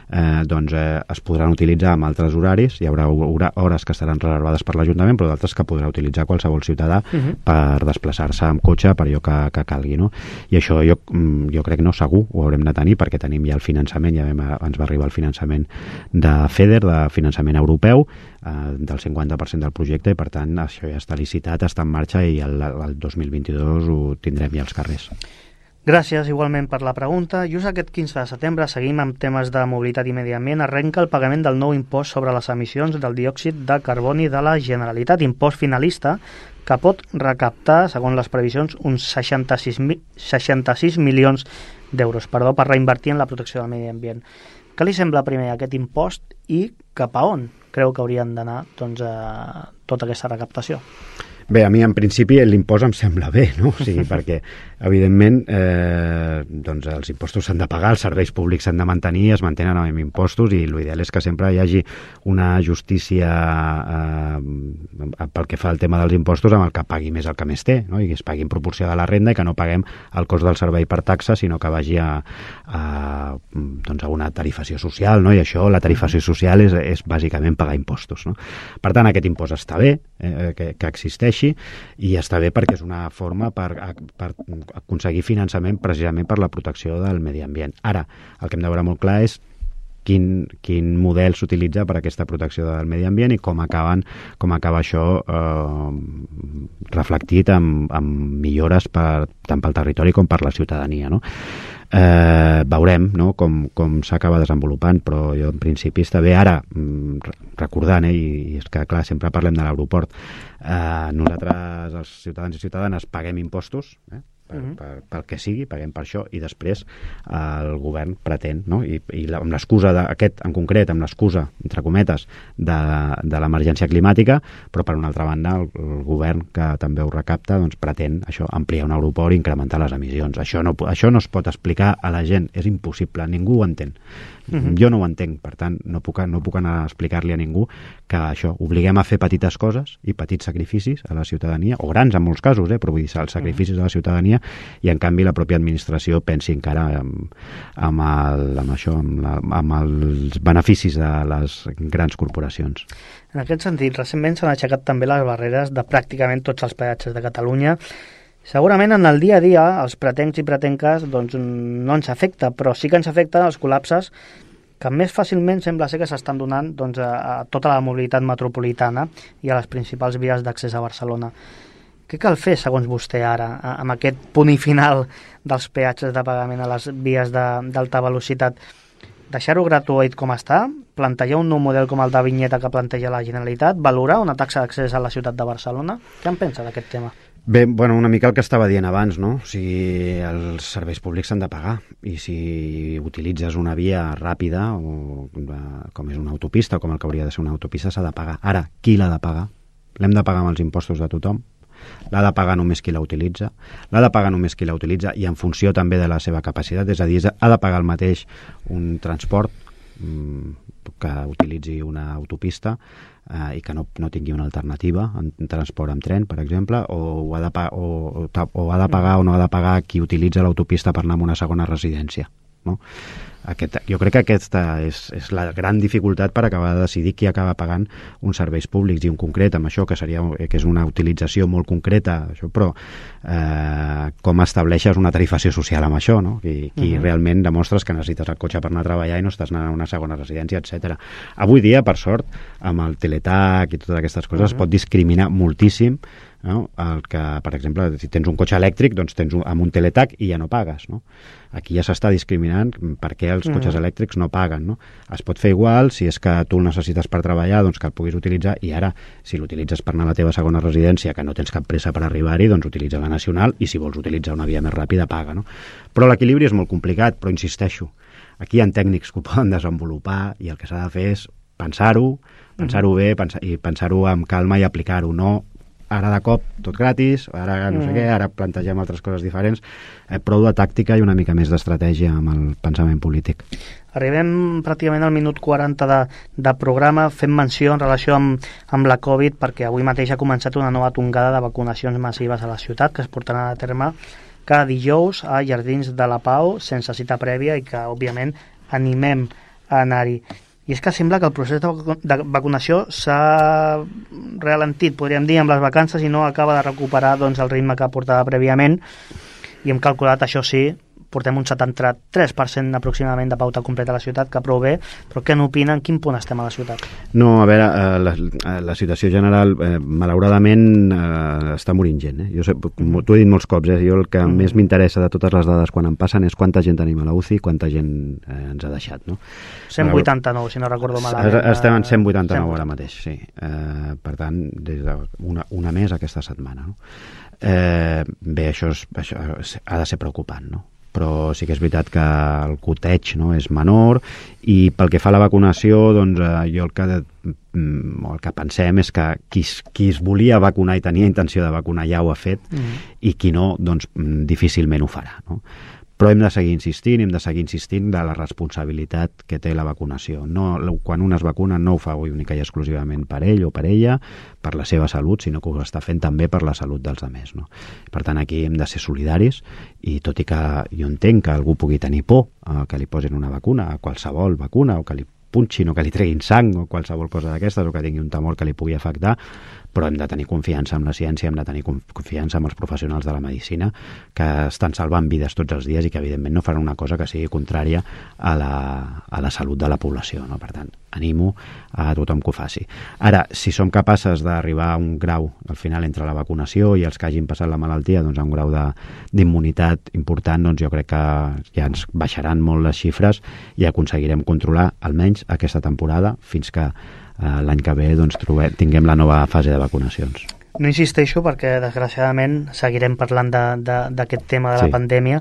eh, doncs eh, es podran utilitzar amb altres horaris, hi haurà hores que estaran reservades per l'Ajuntament, però d'altres que podrà utilitzar qualsevol ciutadà uh-huh. per desplaçar-se amb cotxe per allò que, que calgui, no? I això jo, jo crec no segur, ho haurem de tenir perquè tenim ja el finançament, ja vam, ens va arribar el finançament de FEDER, de finançament europeu, eh, del cinquanta per cent del projecte, i per tant això ja està licitat, està en marxa i el, el dos mil vint-i-dos ho tindrem ja als carrers. Gràcies igualment per la pregunta. Just aquest quinze de setembre seguim amb temes de mobilitat i medi ambient. Arrenca el pagament del nou impost sobre les emissions del diòxid de carboni de la Generalitat, impost finalista que pot recaptar, segons les previsions, uns seixanta-sis milions d'euros, perdó, per reinvertir en la protecció del medi ambient. Què li sembla primer aquest impost i cap a on creu que haurien d'anar doncs, a tota aquesta recaptació? Bé, a mi en principi l'impost em sembla bé, no? O sigui, perquè evidentment eh, doncs els impostos s'han de pagar, els serveis públics s'han de mantenir, es mantenen amb impostos i l'ideal és que sempre hi hagi una justícia eh, pel que fa al tema dels impostos amb el que pagui més el que més té, no? I que es pagui en proporció de la renda i que no paguem el cost del servei per taxa, sinó que vagi a, a, doncs a una tarifació social, no? I això, la tarifació social és, és bàsicament pagar impostos, no? Per tant, aquest impost està bé, eh, que, que existeix, i està bé perquè és una forma per, per aconseguir finançament precisament per la protecció del medi ambient. Ara, el que hem de veure molt clar és quin, quin model s'utilitza per a aquesta protecció del medi ambient i com acaben, com acaba això eh, reflectit amb, amb millores per, tant pel territori com per la ciutadania, no? Eh, veurem, no? com, com s'acaba desenvolupant, però jo en principi està bé. Ara, recordant, eh, i és que clar, sempre parlem de l'aeroport, eh, nosaltres els ciutadans i ciutadanes paguem impostos, eh? Per, uh-huh. per, pel que sigui, paguem per això, i després eh, el govern pretén, no? I, i la, amb l'excusa d'aquest en concret, amb l'excusa, entre cometes, de, de l'emergència climàtica, però per una altra banda el, el govern que també ho recapta doncs pretén això, ampliar un aeroport i incrementar les emissions. Això no, això no es pot explicar a la gent, és impossible, ningú ho entén. Uh-huh. Jo no ho entenc, per tant no puc, no puc anar a explicar-li a ningú que això, obliguem a fer petites coses i petits sacrificis a la ciutadania, o grans en molts casos, eh, però vull dir, els sacrificis uh-huh. a la ciutadania, i en canvi la pròpia administració pensi encara amb, amb, el, amb això, amb, la, amb els beneficis de les grans corporacions. En aquest sentit, recentment s'han aixecat també les barreres de pràcticament tots els peatges de Catalunya. Segurament en el dia a dia els pretencs i pretenques doncs, no ens afecta, però sí que ens afecta els col·lapses que més fàcilment sembla ser que s'estan donant doncs, a, a tota la mobilitat metropolitana i a les principals vies d'accés a Barcelona. Què cal fer, segons vostè, ara, amb aquest punt i final dels peatges de pagament a les vies d'alta velocitat? Deixar-ho gratuït com està? Plantejar un nou model com el de vinyeta que planteja la Generalitat? Valorar una taxa d'accés a la ciutat de Barcelona? Què en pensa d'aquest tema? Bé, bueno, una mica el que estava dient abans, no? O sigui, els serveis públics s'han de pagar, i si utilitzes una via ràpida, o com és una autopista, o com el que hauria de ser una autopista, s'ha de pagar. Ara, qui l'ha de pagar? L'hem de pagar amb els impostos de tothom? L'ha de pagar només qui la utilitza? L'ha de pagar només qui la utilitza i en funció també de la seva capacitat? És a dir, ha de pagar el mateix un transport que utilitzi una autopista eh, i que no, no tingui una alternativa en transport amb tren, per exemple, o, o, ha de pa- o, o, o ha de pagar o no ha de pagar qui utilitza l'autopista per anar a una segona residència, no? Aquest, jo crec que aquesta és, és la gran dificultat per acabar de decidir qui acaba pagant uns serveis públics, i en concret amb això, que seria que és una utilització molt concreta, això, però eh, com estableixes una tarifació social amb això, no? I, i uh-huh. realment demostres que necessites el cotxe per anar a treballar i no estàs anant a una segona residència, etcètera. Avui dia, per sort, amb el teletac i totes aquestes coses, uh-huh. es pot discriminar moltíssim no? El que, per exemple, si tens un cotxe elèctric, doncs tens un, amb un teletac i ja no pagues, no? Aquí ja s'està discriminant per què els cotxes mm. elèctrics no paguen, no? Es pot fer igual, si és que tu el necessites per treballar, doncs que el puguis utilitzar, i ara, si l'utilitzes per anar a la teva segona residència, que no tens cap pressa per arribar-hi, doncs utilitza la nacional, i si vols utilitzar una via més ràpida, paga, no? Però l'equilibri és molt complicat, però insisteixo, aquí hi ha tècnics que ho poden desenvolupar, i el que s'ha de fer és pensar-ho, pensar-ho bé, pensar, i pensar-ho amb calma i aplicar-ho, no ara de cop tot gratis, ara no sé mm. què, ara plantegem altres coses diferents, eh, prou de tàctica i una mica més d'estratègia amb el pensament polític. Arribem pràcticament al minut quaranta de, de programa, fem menció en relació amb, amb la Covid, perquè avui mateix ha començat una nova tongada de vacunacions massives a la ciutat, que es portaran a terme cada dijous a Jardins de la Pau, sense cita prèvia, i que, òbviament, animem a anar-hi. I és que sembla que el procés de vacunació s'ha ralentit, podríem dir, amb les vacances, i no acaba de recuperar doncs, el ritme que portava prèviament, i hem calculat, això sí, portem un setanta-tres per cent aproximadament de pauta completa a la ciutat, que prou bé, però què n'opinen? En quin punt estem a la ciutat? No, a veure, eh, la, la situació general, eh, malauradament, eh, està morint gent. Eh? Jo sé, t'ho he dit molts cops, eh? Jo el que mm. més m'interessa de totes les dades quan em passen és quanta gent tenim a la U C I, quanta gent eh, ens ha deixat. No? cent vuitanta-nou, si no recordo malament. Estem en cent vuitanta-nou ara mateix, sí. Eh, per tant, des de una, una més aquesta setmana. No? Eh, bé, això, és, això ha de ser preocupant, no? Però sí que és veritat que el coteig, no, és menor, i pel que fa a la vacunació, doncs eh, jo el que, el que pensem és que qui, qui es volia vacunar i tenia intenció de vacunar ja ho ha fet, mm. i qui no, doncs difícilment ho farà, no? Però hem de seguir insistint, hem de seguir insistint de la responsabilitat que té la vacunació. No, quan un es vacuna no ho fa única i exclusivament per ell o per ella, per la seva salut, sinó que ho està fent també per la salut dels altres. No? Per tant, aquí hem de ser solidaris, i tot i que jo entenc que algú pugui tenir por a que li posin una vacuna, a qualsevol vacuna, o que li punxin, o que li treguin sang, o qualsevol cosa d'aquestes, o que tingui un temor que li pugui afectar, però hem de tenir confiança en la ciència, hem de tenir confiança en els professionals de la medicina, que estan salvant vides tots els dies i que evidentment no faran una cosa que sigui contrària a la, a la salut de la població. No? Per tant, animo a tothom que ho faci. Ara, si som capaces d'arribar a un grau, al final, entre la vacunació i els que hagin passat la malaltia, doncs a un grau d'immunitat important, doncs jo crec que ja ens baixaran molt les xifres i aconseguirem controlar almenys aquesta temporada fins que Uh, l'any que ve doncs, trobem, tinguem la nova fase de vacunacions. No insisteixo perquè desgraciadament seguirem parlant d'aquest tema de la sí. pandèmia,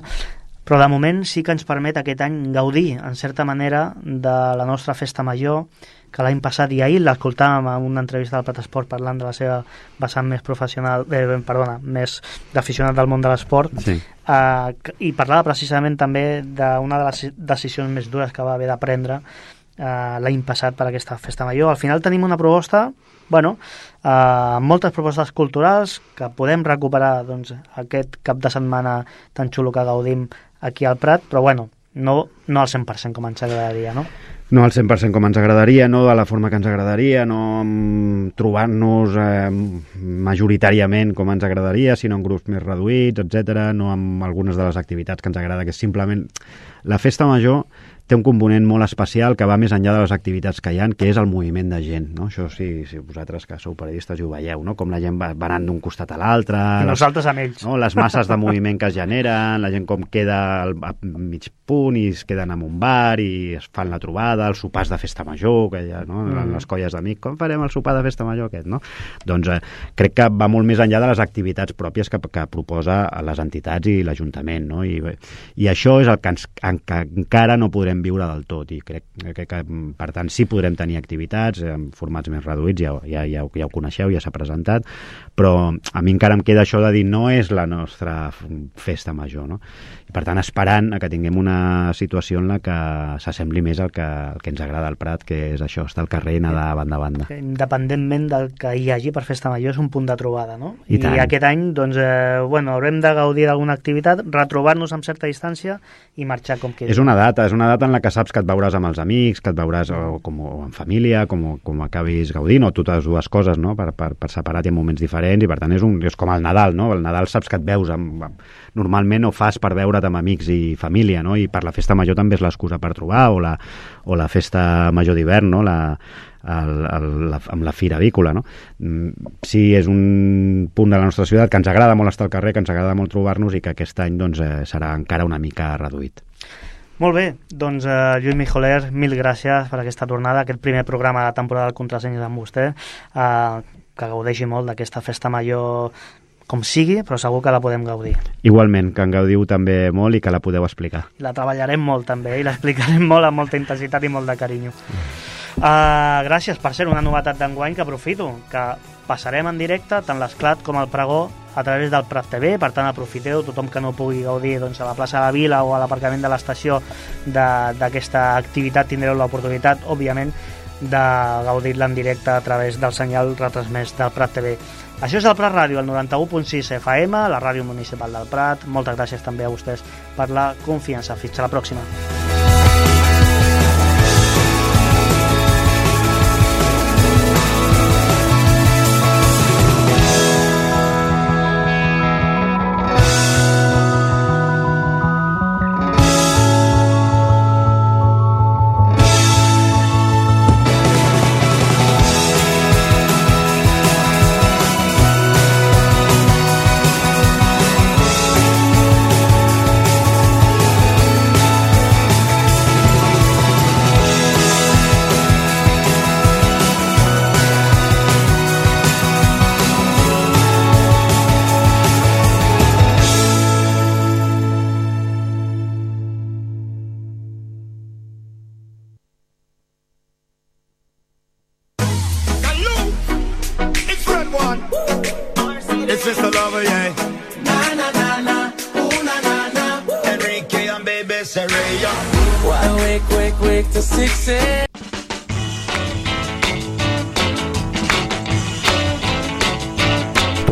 però de moment sí que ens permet aquest any gaudir en certa manera de la nostra festa major, que l'any passat i ahir l'escoltàvem en una entrevista del Platesport parlant de la seva vessant més professional, eh, perdona, més d'aficionat del món de l'esport, sí. uh, i parlava precisament també d'una de les decisions més dures que va haver de prendre Uh, l'any passat per aquesta festa major. Al final tenim una proposta, bueno, uh, moltes propostes culturals que podem recuperar doncs, aquest cap de setmana tan xulo que gaudim aquí al Prat, però bueno, no, no al cent per cent com ens agradaria, no? No al cent per cent com ens agradaria, no de la forma que ens agradaria, no trobant-nos eh, majoritàriament com ens agradaria, sinó en grups més reduïts, etcètera, no amb algunes de les activitats que ens agrada, que és simplement la festa major té un component molt especial que va més enllà de les activitats que hi ha, que és el moviment de gent, no? Això sí, si vosaltres que sou periodistes i ho veieu, no? Com la gent va, va anant d'un costat a l'altre... I les, nosaltres amb ells. No? Les masses de moviment que es generen, la gent com queda al, a mig punt i es queden en un bar i es fan la trobada, els sopars de festa major, que hi ha, no? Mm. Les colles d'amics, com farem el sopar de festa major aquest, no? Doncs eh, crec que va molt més enllà de les activitats pròpies que, que proposa les entitats i l'Ajuntament, no? I, i això és el que, ens, en, que encara no podrem viure del tot, i crec, crec que per tant sí podrem tenir activitats en formats més reduïts, ja, ja, ja, ja ho coneixeu, ja s'ha presentat, però a mi encara em queda això de dir no és la nostra festa major, no? I per tant esperant a que tinguem una situació en la que s'assembli més al que, al que ens agrada al Prat, que és això, estar al carrer i anar de banda a banda. Independentment del que hi hagi per festa major, és un punt de trobada, no? I, I aquest any, doncs, eh, bueno, haurem de gaudir d'alguna activitat, retrobar-nos amb certa distància i marxar com queda. És una data, és una data en la que saps que et veuràs amb els amics, que et veuràs o, com, o en família, com, com acabis gaudint, o totes dues coses, no? per, per, per separat i en moments diferents, i per tant és, un, és com el Nadal, no? El Nadal saps que et veus, amb, amb, normalment ho fas per veure't amb amics i família, no? I per la festa major també és l'excusa per trobar, o la, o la festa major d'hivern, no? La, el, el, la, amb la fira avícola, no? Sí, és un punt de la nostra ciutat que ens agrada molt estar al carrer, que ens agrada molt trobar-nos i que aquest any doncs, eh, serà encara una mica reduït. Molt bé, doncs uh, Lluís Mijoler, mil gràcies per aquesta tornada, aquest primer programa de temporada del Contrasenyes amb vostè, uh, que gaudeixi molt d'aquesta festa major com sigui, però segur que la podem gaudir. Igualment, que en gaudiu també molt i que la podeu explicar. La treballarem molt també i l'explicarem molt amb molta intensitat i molt de carinyo. Uh, gràcies, per ser una novetat d'enguany que aprofito, que passarem en directe tant l'Esclat com el Pregó a través del Prat T V, per tant aprofiteu, tothom que no pugui gaudir doncs, a la plaça de la Vila o a l'aparcament de l'estació d'aquesta activitat tindreu l'oportunitat, òbviament, de gaudir-la en directe a través del senyal retransmès del Prat T V. Això és el Prat Ràdio, el noranta u punt sis F M, la ràdio municipal del Prat. Moltes gràcies també a vostès per la confiança. Fins a la pròxima.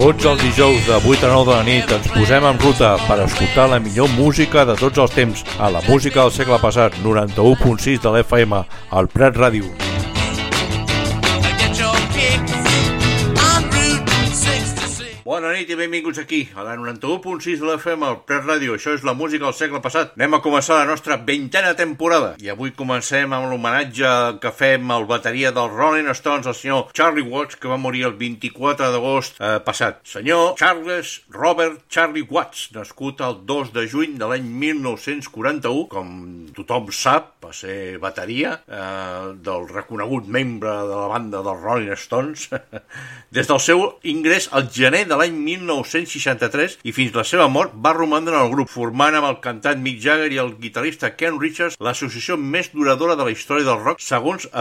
Tots els dijous de vuit a nou de la nit ens posem en ruta per escoltar la millor música de tots els temps a la música del segle passat, noranta u punt sis de l'F M, al Prat Ràdio. Bona nit i benvinguts aquí, a la noranta u punt sis de l'F M, al Prat Ràdio. Això és la música del segle passat. Anem a començar la nostra vintena temporada. I avui comencem amb l'homenatge que fem al bateria dels Rolling Stones, el senyor Charlie Watts, que va morir el vint-i-quatre d'agost eh, passat. Senyor Charles Robert Charlie Watts, nascut el dos de juny de l'any mil nou-cents quaranta-u, com tothom sap, va ser bateria eh, del reconegut membre de la banda dels Rolling Stones, des del seu ingrés al gener de l'any mil nou-cents seixanta-tres i fins la seva mort va romandre en el grup, formant amb el cantant Mick Jagger i el guitarrista Ken Richards l'associació més duradora de la història del rock, segons